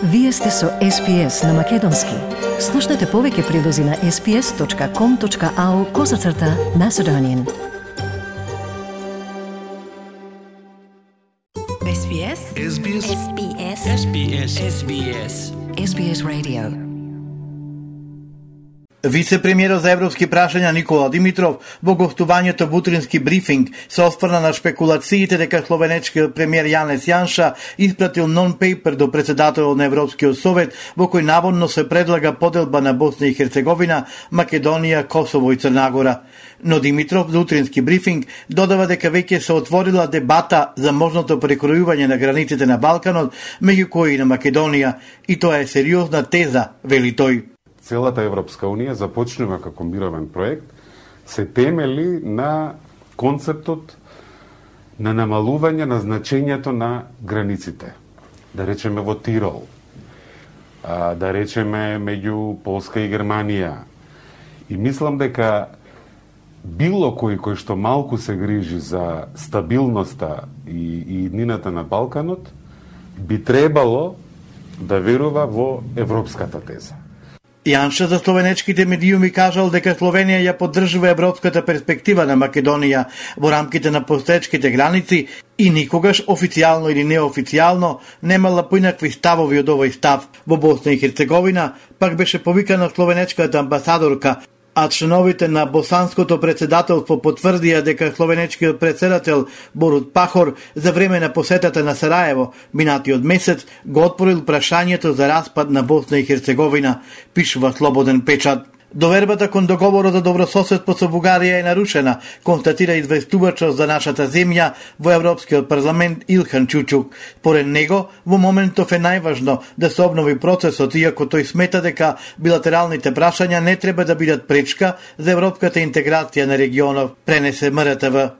Вие сте со SPS на Македонски. Слушнете повеќе прилози на sps.com.au/Macedonian. SBS SBS SBS SBS SBS SBS Radio. Вице-премиерот за европски прашања Никола Димитров во гостувањето во утрински брифинг се осврна на шпекулациите дека словенечкиот премиер Јанес Јанша испратил нон-пейпер до председателот на Европскиот совет во кој наводно се предлага поделба на Босна и Херцеговина, Македонија, Косово и Црна Гора. Но Димитров за утрински брифинг додава дека веќе се отворила дебата за можното прекројување на границите на Балканот, меѓу кои и на Македонија, и тоа е сериозна теза, вели тој. Целата Европска Унија започнува како мировен проект, се темели на концептот на намалување на значењето на границите. Да речеме во Тирол, да речеме меѓу Полска и Германија. И мислам дека било кој што малку се грижи за стабилноста и иднината на Балканот, би требало да верува во европската теза. Јанша за словенечките медиуми кажал дека Словенија ја поддржува европската перспектива на Македонија во рамките на постоечките граници и никогаш официјално или неофицијално немала поинакви ставови од овој став. Во Босна и Херцеговина пак беше повикана словенечката амбасадорка, а членовите на босанското председателство потврдија дека словенечкиот председател Борут Пахор за време на посетата на Сараево минатиот месец го отворил прашањето за распад на Босна и Херцеговина, пишува Слободен печат. Довербата кон договорот за добрососедство со Бугарија е нарушена, констатира известувачот за нашата земја во Европскиот парламент Илхан Чучук. Поред него, во моментов е најважно да се обнови процесот, иако тој смета дека билатералните прашања не треба да бидат пречка за европската интеграција на регионов, пренесе МРТВ.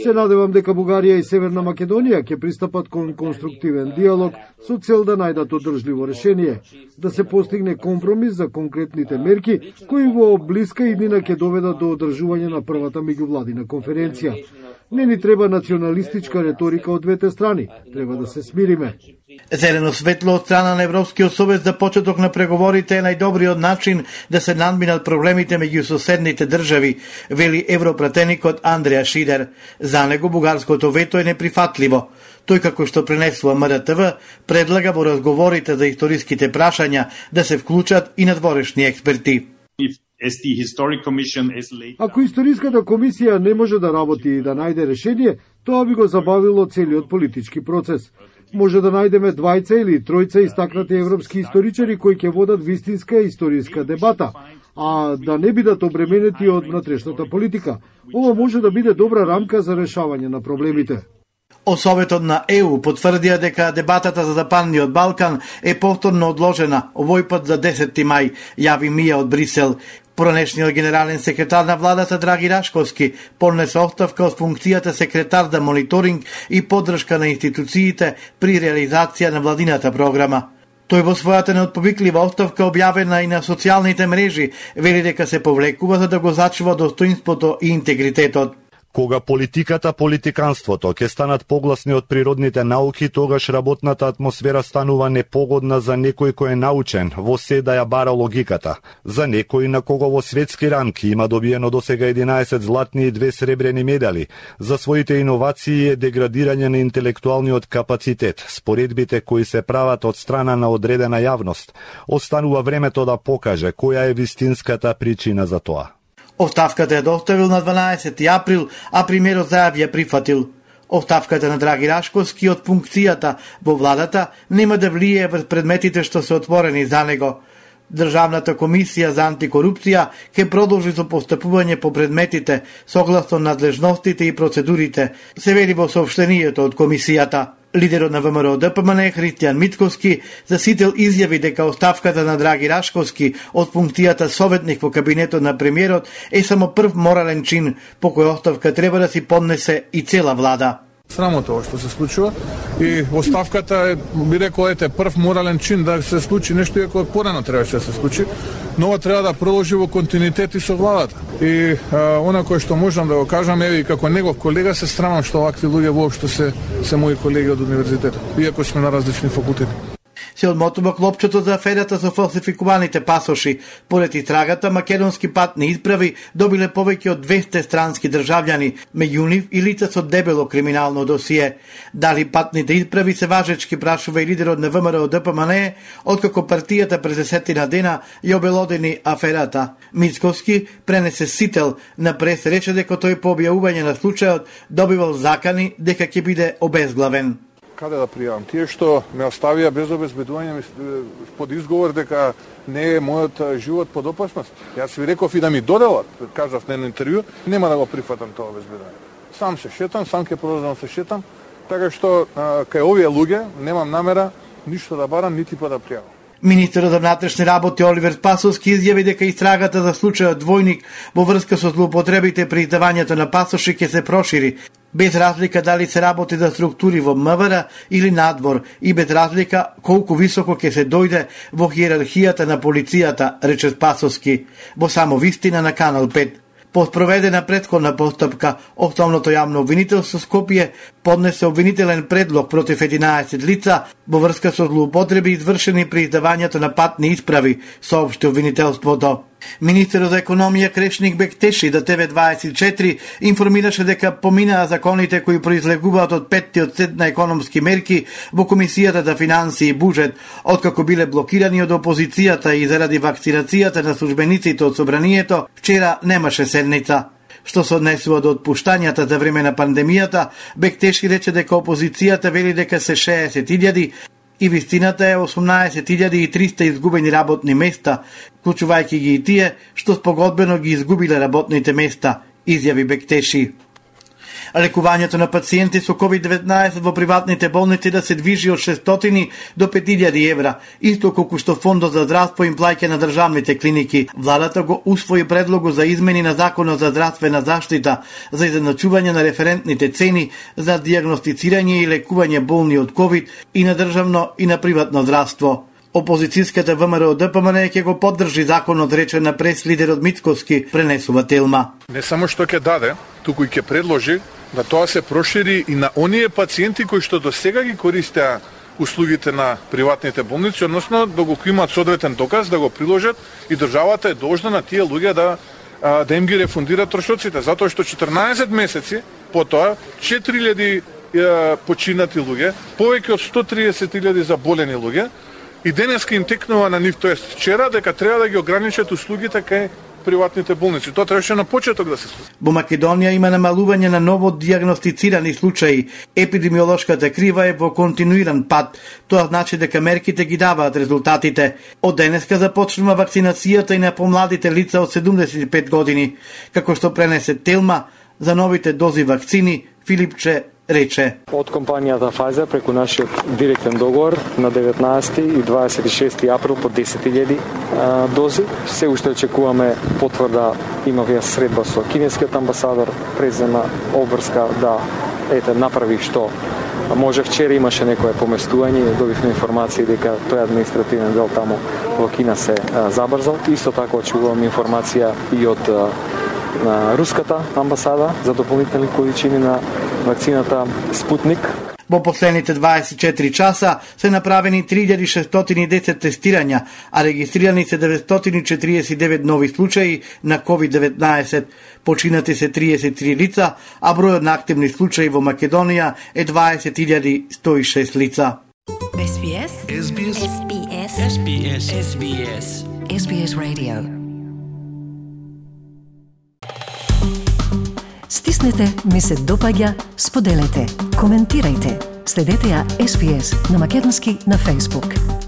Се надевам дека Бугарија и Северна Македонија ќе пристапат кон конструктивен диалог со цел да најдат одржливо решение, да се постигне компромис за конкретните мерки кои во блиска иднина ќе доведат до одржување на првата меѓувладина конференција. Не ни треба националистичка реторика од двете страни, треба да се смириме. Зелено светло од страна на Европскиот совет за почеток на преговорите е најдобриот начин да се надминат проблемите меѓу соседните држави, вели европратеникот Андреа Шидер. За него бугарското вето е неприфатливо. Тој, како што пренесува МРТВ, предлага во разговорите за историските прашања да се вклучат и надворешни експерти. Ако историската комисија не може да работи и да најде решение, тоа би го забавило целиот политички процес. Може да најдеме двајца или тројца истакнати европски историчари кои ќе водат вистинска историска дебата, а да не бидат обременети од внатрешната политика. Ова може да биде добра рамка за решавање на проблемите. Од Советот на ЕУ потврдија дека дебатата за Западниот Балкан е повторно одложена, овој пат за 10 мај, јави Мија од Брисел. Поранешниот генерален секретар на владата Драги Рашковски поднесе оставка од функцијата секретар за мониторинг и поддршка на институциите при реализација на владината програма. Тој во својата неотповиклива оставка објавена и на социјалните мрежи вели дека се повлекува за да го зачува достоинството и интегритетот. Кога политиката, политиканството ќе станат погласни од природните науки, тогаш работната атмосфера станува непогодна за некој кој е научен, во се да ја бара логиката. За некој на кого во светски рамки има добиено досега 11 златни и 2 сребрени медали, за своите иновации е деградирање на интелектуалниот капацитет, споредбите кои се прават од страна на одредена јавност. Останува времето да покаже која е вистинската причина за тоа. Оставката е доставил на 12 април, а премиерот зајави ја прифатил. Оставката на Драги Рашковски од функцијата во владата нема да влијае врз предметите што се отворени за него. Државната комисија за антикорупција ќе продолжи со постапување по предметите согласно надлежностите и процедурите, се вели во соопштението од комисијата. Лидерот на ВМРО ДПМН Христијан Митковски за сител изјави дека оставката на Драги Рашковски од функцијата советник во кабинетот на премиерот е само прв морален чин по кој оставка треба да си поднесе и цела влада. Срамота ова што се случува и оставката е, би рекол, прв морален чин да се случи нешто, иако порано требаше да се случи. но ова треба да продолжи во континуитет и со владата. И она кое што можам да го кажам, еве и како негов колега се срамам што овакви луѓе воопшто се мои колеги од универзитетот, иако сме на различни факултети. Се одмотува клопчето за аферата со фалсификуваните пасоши. Поред истрагата, македонски патни исправи добиле повеќе од 200 странски државјани, меѓу нив и лица со дебело криминално досие. Дали патните исправи се важечки, прашува и лидерот на ВМРО ДПМН, откако партијата през 10 дена ја обелодени аферата. Мицковски пренесе сител на прес, рече дека тој по објавување на случајот добивал закани дека ќе биде обезглавен. Каде да пријавам? Тие што ме оставија без обезбедување под изговор дека не е мојот живот под опасност. Јас ви реков и да ми доделат, кажав на едно интервју, нема да го прифатам тоа обезбедување. Сам се шетам, сам ќе продолжам се шетам, така што кај овие луѓе немам намера ништо да барам, нити па да пријавам. Министерот за внатрешни работи Оливер Спасовски изјави дека истрагата за случајот двојник во врска со злоупотребите при издавањето на пасоши ќе се прошири, без разлика дали се работи за структури во МВР или надвор и без разлика колку високо ќе се дојде во хиерархијата на полицијата, рече Спасовски, во само вистина на Канал 5. По спроведена претходна постапка, Основното јавно обвинителство Скопје поднесе обвинителен предлог против 11 лица во врска со злоупотреби извршени при издавањето на патни исправи, соопшти обвинителството. Министерот за економија Крешник Бектеши до ТВ24 информираше дека поминаа законите кои произлегуваат од петтиот сет на економски мерки во Комисијата за финансии и буџет, откако биле блокирани од опозицијата и заради вакцинацијата на службениците од собранието, вчера немаше седница. Што се однесува до отпуштањата за време на пандемијата, Бектеши рече дека опозицијата вели дека се 60.000 и вистината е 18.300 изгубени работни места, вклучувајќи ги и тие што спогодбено ги изгубиле работните места, изјави Бектеши. Лекувањето на пациенти со COVID-19 во приватните болници да се движи од 600 до 5000 евра, исто колку што Фондот за здравство им плаќа на државните клиники. Владата го усвои предлогот за измени на Законот за здравствена заштита за изедначување на референтните цени за дијагностицирање и лекување болни од COVID и на државно и на приватно здравство. Опозицијската ВМРО ДПМН ќе го поддржи законот, рече на прес лидерот Мицковски, пренесува Телма. Не само што ќе даде, туку и ќе предложи да тоа се прошири и на оние пациенти кои што досега ги користеа услугите на приватните болници, односно да го имаат соодветен доказ, да го приложат и државата е должна на тие луѓе да им ги рефундира трошоците, затоа што 14 месеци потоа 4000 починати луѓе, повеќе од 130.000 заболени луѓе, и денеска им текнува на нив, тоест вчера, дека треба да ги ограничат услугите кај приватните болници. Тоа требаше на почеток да се случи. Во Македонија има намалување на ново дијагностицирани случаи. Епидемиолошката крива е во континуиран пат. Тоа значи дека мерките ги даваат резултатите. Од денеска започнува вакцинацијата и на помладите лица од 75 години. Како што пренесе Телма, за новите дози вакцини, Филипче рече. Од компанијата Pfizer преку нашиот директен договор на 19 и 26 април по 10.000 дози. Се уште очекуваме потврда, имавме средба со кинескиот амбасадор, презема обврска да направи што може. Вчера имаше некое поместување, добивме информации дека тој административен дел таму во Кина се забрзал. Исто така очекуваме информација и од на руската амбасада за дополнителни количини на вакцината Спутник. Во последните 24 часа се направени 3610 тестирања, а регистрирани се 949 нови случаи на COVID-19. Починати се 33 лица, а бројот на активни случаи во Македонија е 20.106 лица. SBS SBS SBS SBS SBS SBS Radio. Стиснете, ми се допаѓа, споделете, коментирајте. Следете ја SBS на македонски на Facebook.